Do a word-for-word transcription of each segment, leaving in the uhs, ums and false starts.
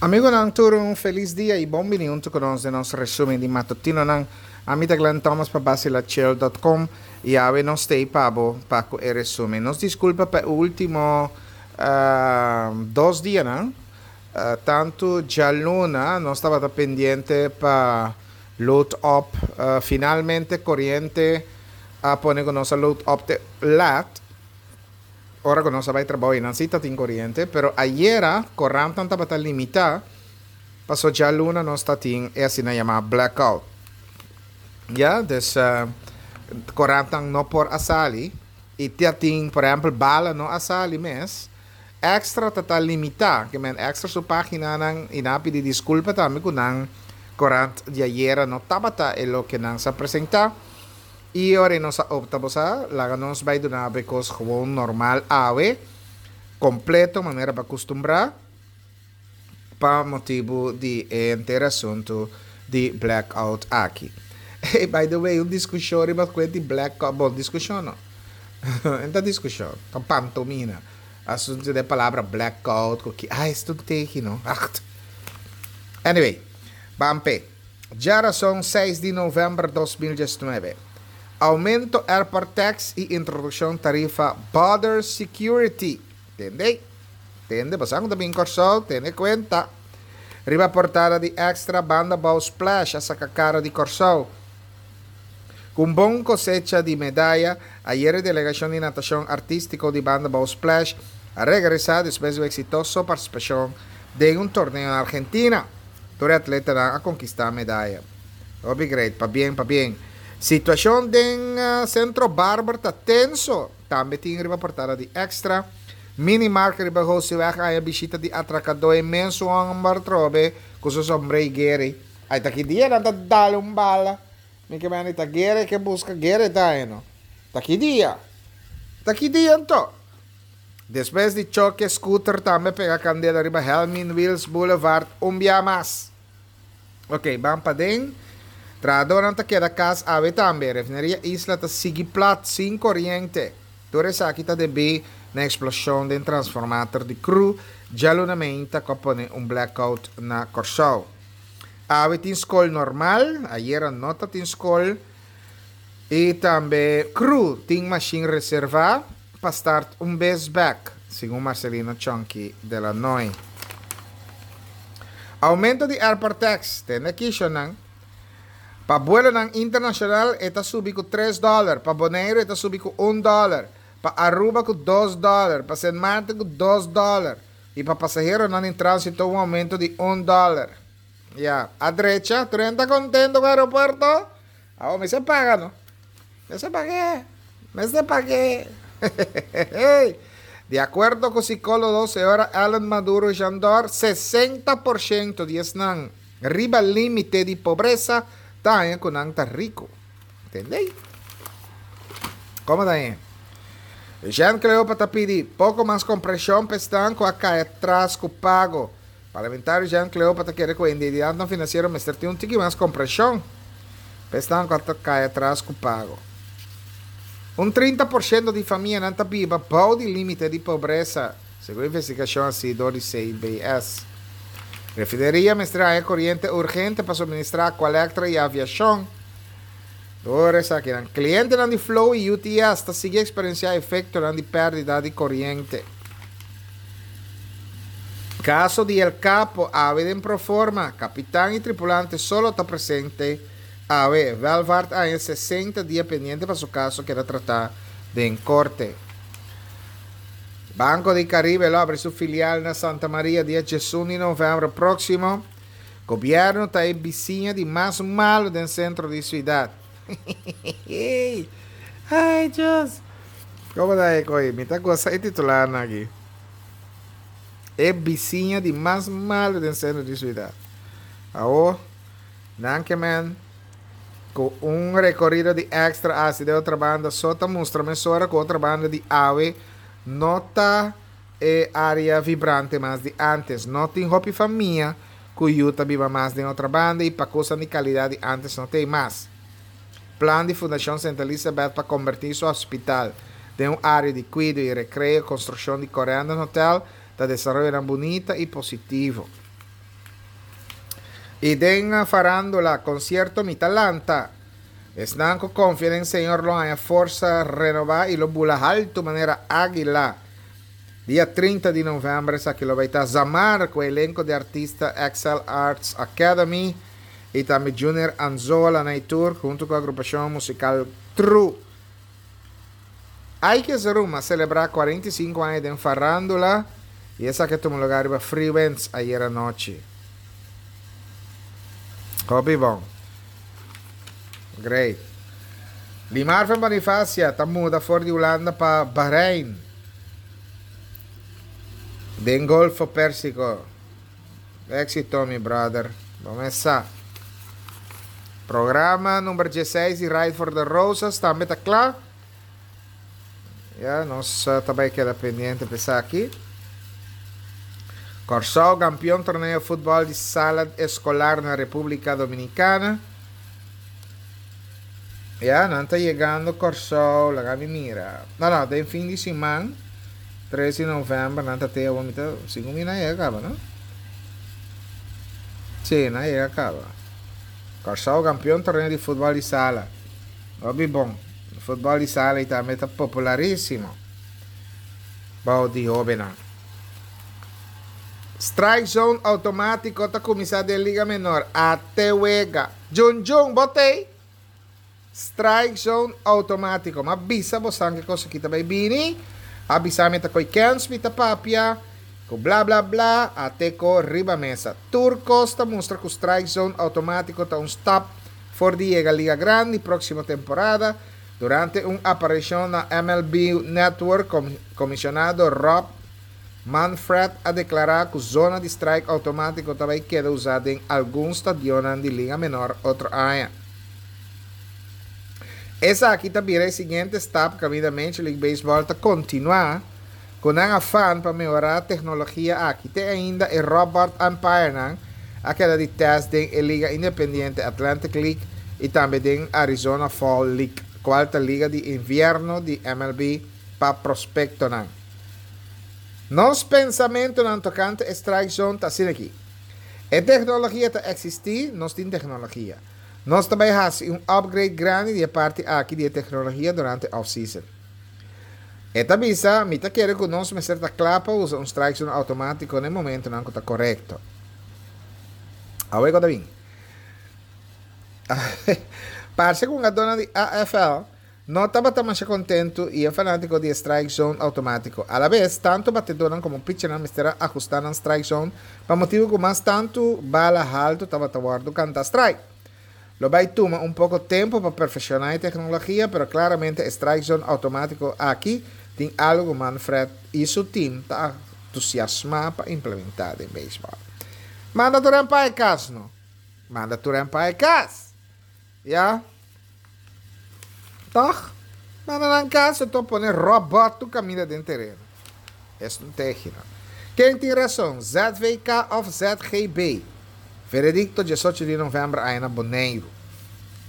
Amigonan tur un felis dia y bon bini hunto cu nos den nos resumen di matutinonan. Ami ta Glenn Thomas pa Bacilachill dot com y awe nos ta ey pa bo pa cu e resumen. Nos disculpa pa e ultimo dos dianan, tanto djaluna nos tabata pendiente pa load up, finalmente coriente a pone cu nos a load up te laat. Ora ku nos a bai trabou i nan si ta tin koriente, pero ayera korantnan tabata limitá paso djaluna nos ta tin e asina yamá blackout. Ya, dus korantnan no por a sali i ta tin por ehèmpel Bala no a sali mes. Extra ta ta limitá, ke men Extra su páginanan i nan a pidi diskulpa tambe ku nan korant di ayera no tabata e loke nan sa presentá. I ora nos a opta bo sa, laga nos bai duna bo e kos gewoon normal awe, kompleto manera bo a kustumbrá, pa motibu di e henter asuntu di blackout aki. Hey, by the way, un diskushon riba kuent di blackout, bon, diskushon no, no ta diskushon, ta un pantomina, asuntu di e palabra blackout ku ki, ai, esto tegi no, acht. Anyway, ban p'e. Djarason seis di november dos mil diesnuebe. Aumento airport tax y introduccion tarifa border security. Tende? Tende, bo sa cu ta bin Corsou, tene cuenta. Riba portada di Extra, Banda Bou Splash a saca cara di Corsou. Cu un bon cosecha di medaya, ayer e delegacion di natacion artistico di Banda Bou Splash a regresa despues di un exitoso participacion den un torneo na Argentina. Tur e atletanan a conquista medaya. Hopi great, pabien, pabien. Situacion den Centro Barber ta tenso. Tambe tin riba portada di Extra. Minimarkt riba Hosiweg a haña bishita di atracadó e mesun homber trobe cu su sombré y gueri. Ay ta ki dia nan ta dal un bala. Mi ke meni ta gueri ke busca gueri ta haña no. Ta ki dia? Ta ki dia anto? Despues di choke scooter tambe pega candela riba Helmin Wiels Boulevard un bia mas. Ok, ban paden. Trahadornan ta keda kas awe tambe. Refineria Isla ta sigui plat sin koriente. Tur esaki ta debí na eksploshon den transformator di kru djaluna meinta ku a pone un blackout na Kòrsou. Awe tin skol normal, ayera no ta tin skol. I tambe kru tin mashin reservá pa start un bes bèk, segun Marcelino Chonky de la Noy. Aumento di airport tax, tende kishonan. Pa buelonan internacional e ta subi cu tres dollar, pa Boneiru e ta subi cu un dollar, pa Aruba cu dos dollar, pa Sint Maarten cu dos dollar y pa pasaheronan den transito un aumento di un dollar. Ya, a drecha, tur hende ta contento cu aeropuerto? Awor mester paga no. Mester pag'é, mester pag'é. Di acuerdo cu psicólogo señora Ellen Maduro Jandor, sesenta por ciento di esnan riba límite di pobresa ta haña cu nan ta rico. Entendey? Como ta haña? Jean Cleopa ta pidi poco mas compresion pa esnan cu a cay atras cu pago. Parlamentario Jean Cleopa ta kere cu e entidadnan financiero mester tin un tiki mas compresion pa esnan cu a cay atras cu pago. Un trinta por ciento di famianan ta biba bou di limite di pobresa, segun investigacion haci dor di C B S. Refineria mester haña coriente urgente pa suministra Aqualectra y aviacion. Door esakinan, clientenan di Flow y U T S ta sigui experiencia efectonan di perdida di coriente. Caso di El Capo, awe den proforma, capitan y tripulante solo ta presente awe. Welvaart haña sesenta dia pendiente pa su caso keda trata den corte. Banco di Caribe lo abri su filial na Santa Maria dia diesun di november próximo. Gobierno ta e bisiña di mas malo den centro di ciudad. Ay, Dios. Como ta e coi? Mi ta goza e titular na aki. E bisiña di mas malo den centro di ciudad. Awo, nan ke men, cu un recorrido di extra hacia de otra banda, so ta mustra mesora cu otra banda di awe no ta e área vibrante mas di antes. No tin hopi famia cu yu ta biba mas den otra banda y pa cosa di calidad di antes no tem mas. Plan di Fundación Santa Elizabeth pa convertir su hospital den un área di cuido y recreo, construcción di Corendon Hotel, ta desarrollo bonita y positivo. I den farándula, konsierto Mi ta Lanta. Esnan ku konfia den Señor lo haña forsa renobá i lo bula haltu manera águila. Dia trinta di novèmber esaki lo bai ta Zamar ku elenko di artista Excel Arts Academy i tambe Junior Anzola na e tur huntu ku agrupashon musikal True. Ike Zeroom a selebrá kuarenta i sinku aña den farándula i esaki a tuma lugá riba Freewinds ayera nochi. Hopi bon. Great. Limarvin Bonifacia ta muda for di Hulanda pa Bahrein den Golfo Persico. Éxito mi brother. Bo mes sa. Programa number diesseis di Ride for the Roses tambe ta kla. Ya, nos ta bai keda pendiente pa esaki. Kòrsou kampion torneo futbòl di sala eskolar na Repúblika Dominikana. Ya, nan ta yegando Kòrsou, laga mi mira. No, no, den fin di siman, tres di novèmber, nan ta te awor, mi ta, segun mi nan a yega kaba, no? Sí, nan a yega kaba. Kòrsou kampion torneo di futbòl di sala. Hopi bon. Futbòl di sala i tambe ta popularísimo bou di hóbennan. Strike zone outomátiko ta kuminsá den Liga Menor. Ate wega. Djun djun, bo t'ei? Strike zone outomátiko. M'a bisa bosan ke kos aki ta bai bini. A bisa mi ta koi kens mi ta papia. Ku bla bla bla. Ate ko riba mesa. Tur kos ta mustra ku strike zone outomátiko ta un stap for di yega Liga Grandi próksimo temporada. Durante un aparishon na M L B Network, komisionado Rob Manfred a deklará ku zona di strike outomátiko ta bai keda usá den algun stadionnan di Liga Menor otro aña. Esaki ta bira e siguiente stap kaminda Major League Baseball ta kontinuá ku nan afan pa mehorá teknologia aki. Te ainda e robot umpirenan a keda di tèst den e liga independiente Atlantic League i tambe den Arizona Fall League, kual ta liga di invierno di M L B pa prospektonan. Nos pensamentunan tokante e strike zone ta asina aki. E teknologia ta eksistí, nos tin teknologia. Nos ta bai hasi un upgrade grandi di e parti aki di e teknologia durante off-season. E ta bisa, mi ta kere ku nos mester ta kla pa usa un strike zone outomátiko na e momentunan ku ta korekto. Awe ku ta bin. Parse ku hungadónan di A F L no tabata masha kontentu i e fanátiko di e strike zone outomátiko. Alabes, tantu batedónan komo pitchernan mester a ahustá nan strike zone pa motibu ku mas tantu bala haltu tabata wòrdu kantá strike. Lo bai tuma un poko tempu pa perfekshoná e teknologia, pero klaramente e strike zone outomátiko aki tin algu ku Manfred i su tim ta entusiasmá pa implementá den beisbòl. Manda tur hende pa e kas, no? Manda tur hende pa e kas! Ya? Tòg? Manda nan kas, anto pone robòt tur kaminda den tereno. Es un tegino. Ken tin rason, Z V K òf Z G B? Veredikto diesocho di novèmber aña na Boneiru.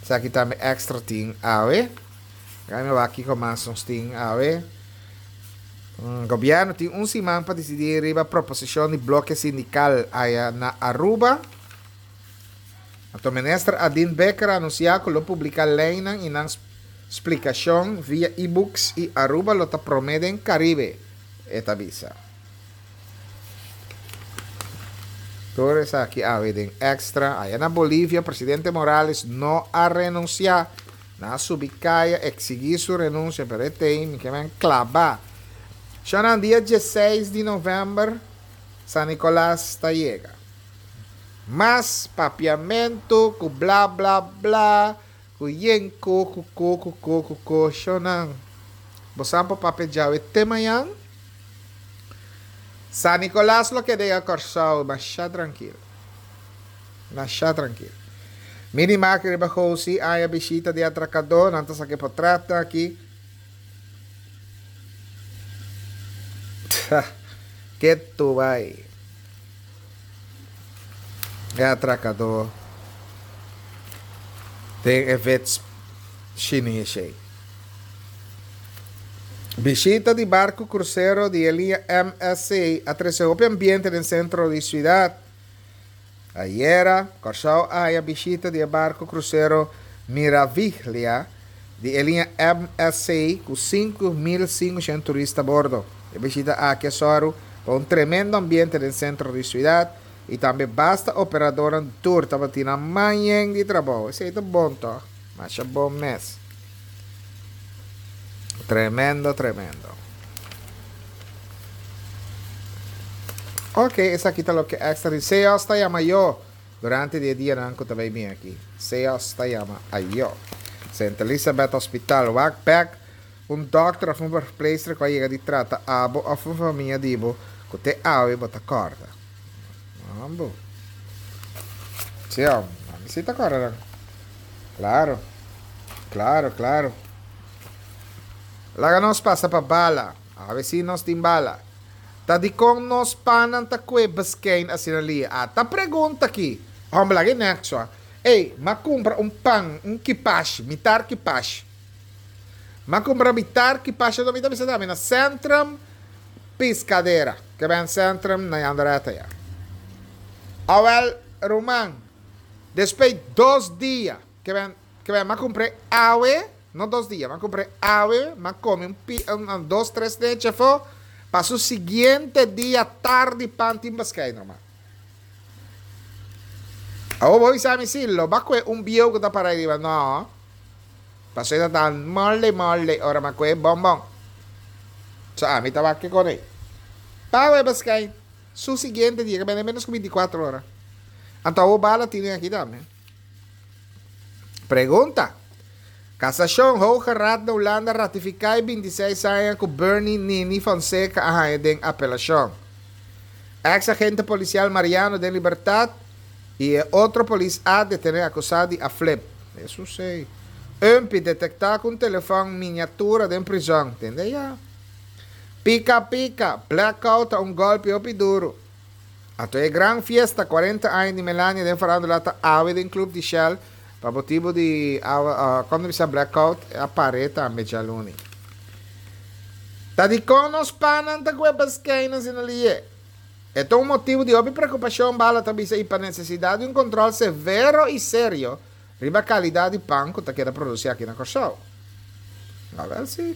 Esaki tambe Extra tin awe. Gai mi wak kiko mas nos tin awe. Gobièrnu tin un siman pa disidí riba proposishon di bloke sindikal aya na Aruba. Anto Minister Adin Bikker a anunsiá ku lo publiká leinan i nan splikashon via e-books i Aruba lo ta promé den Karibe, e ta bisa. Tur esaki awe den Extra. Aya na Bolivia presidente Morales no a renunsia. Nan a subi kaya eksigí su renunsia pero e tei mi ke men klaba. Shonan dia diesseis di novèmber San Nicolas ta yega. Mas papiamentu ku bla bla bla ku yen ko ku ko ku ko ku ko shonan. Bo sa por papia djawe te mañan? San Nicolas lo keda ya Kòrsou masha trankil. Masha trankil. Mini Market riba Gosi aña bishita di atrakadó, nan ta saka e potretnan aki. Ketu bai. E atrakadó den e vets shinishi. Bishita di barku krusero di e liña M S C a trese hopi ambiente den sentro di siudat. Ayera, Kòrsou a haña bishita di e barku krusero Miraviglia di e liña M S C ku sinku mil sinkushen turista a bordo. E bishita aki a sòru pa un tremendo ambiente den sentro di siudat i tambe basta operadornan tur tabatin nan man yen di trabou. Esei ta bon tòg? Masha bon mes. Tremendo, tremendo. Ok, esaki ta loke Extra di Seos ta yama yo durante di e dianan ku ta bai bin aki. Seos ta yama ayo. Sint Elisabeth Hospital, wak bek un dòkter òf un verpleegster ku a yega di trata abo òf un famia di bo ku te awe bo ta kòrda. Mambo. Sí, ami sí ta kòrda nan. Klaro. Klaro, klaro. Laga nos pasa pa bala. Awe sí nos tin bala. Ta dikon nos pannan ta kue beskein asina lia? Ata pregunta aki. Hòmber, laga e nèk so. Ey, m'a kumpra un pan, un kipashi, mitar kipashi. M'a kumpra mitar kipashi, anto mi ta bisa tambe na Centrum Piscadera, ke ben Centrum na Jandareta ya. Awel, ruman, despues dos dia, ke ben, ke ben m'a kumpr'é awe, no dos dia, m'a kumpr'é awe, m'a kome un pi, un dos tres nechi afó, pa su siguiente dia tardi pan tin beskein, ruman. Awor bo bisa mi si lo ba kue un bieu ku ta para riba no. Paso e ta tan mole mole ora ma kue bonbon. So ami ta wak kiko nei. Pago e beskei su siguiente dia ke bende menos ku binti kuater ora. Anto awor bala tine aki tambe. Pregunta. Kasashon, Hoge Raad na Hulanda ratifiká e binti seis aña ku Bernie Nini Fonseca a haña den apelashon. Ex agente polisial Mariano den libertat i e otro polis a detené akusá di a flip. Eso sei. Umpi detektá ku un telefòn miniatura den prizòn. Tende ya. Pika pika, blackout ta un gòlpi hopi duru. Anto e gran fiesta kuarenta aña di Melania den farándula ta awe den Club di Shell pa motibu di awa, kon bisa blackout a par'é tambe djaluni. Ta dikon nos pannan ta kue beskein asina lié? E ta un motibu di hopi preokupashon, Bala ta bisa, i pa nesesidat di un kontròl severo i serio riba kalidat di pan ku ta keda produsí aki na Kòrsou. Awèl si.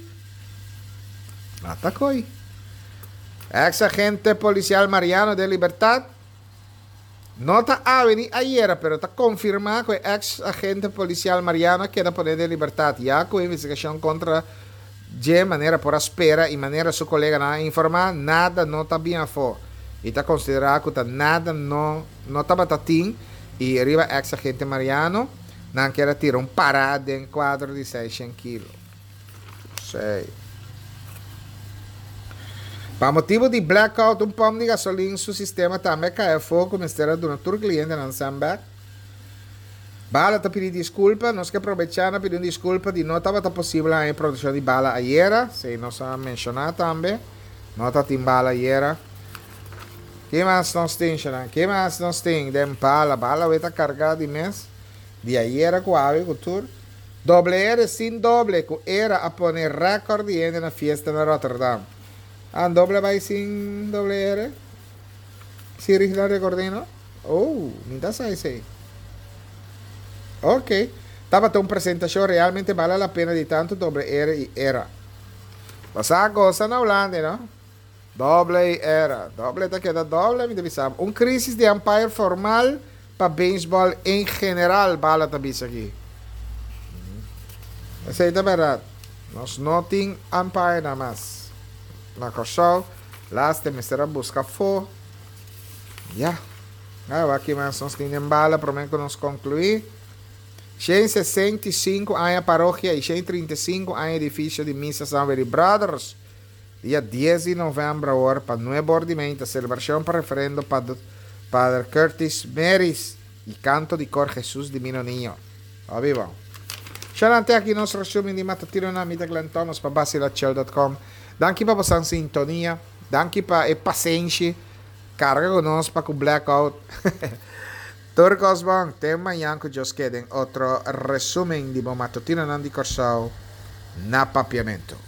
Ata koi. Ex agente polisial Mariano den libertat. No ta awe ni ayera, pero ta konfirmá ku e ex agente polisial Mariano a keda poné den libertat, ya ku e investigashon kontra dje, manera por a spera i manera su koleganan a informá, nada no ta bin afó i ta konsiderá ku ta nada no no tabata tin i riba ex agente Mariano nan kier a tira un pará den kuadro di seishent kilo. Sei. Pa motibu di blackout un pòmp di gasolin su sistema tambe a kai afó ku mester a duna tur klientenan sèn bèk. Bala ta pidi diskulpa. Nos ke probechá na pidi un diskulpa di no tabata posibel haña e produkshon di bala ayera. Esei nos a menshoná tambe. No ta tin bala ayera. Ke mas nos tin, shanan? Ke mas nos tin den bala? Bala awe ta kargá di mes. Di ayera ku awe ku tur. Doble R sin doble ku era a pone rèkòrt di hende na fiesta na Rotterdam. Ah, doble bai sin doble R? Si Rigla Recordino? Oh, mi ta sa esei. Ok. Tabata un presentashon realmente bale la pena di tantu doble R i era. Bo sa gosa na Hulanda, no? Doble i era. Doble ta keda doble, mi ta bisa. Un crisis di umpire formal pa baseball en general, Bala ta bisa aki. Esei ta bèrdat. Nos no tin umpire na mas. Na Kòrsou, laste mester a buska afó. Ya. Ah, aki mas nos tin den bala, promé ku nos konkluí. shen sesenta i sinku aña parokia i shen trinta i sinku aña edifisio di Misa San Willy Brothers. Dia dies di novèmber awor pa nuebe or di mainta selebrashon pa referendo Pader Curtis Meris i kanto di kor Jesus Divino Niño. Hopi bon. Shalante aki nos resumen di Matutino na mi ta Glenn Thomas pa basilachel punto com. Danki pa boso sintonia. Danki pa e pasenshi. Karga ku nos pa ku blackout. Tur kos bon. Te mañan ku Dios ke den otro resumen di bo matutino nan di Kòrsou na Papiamento.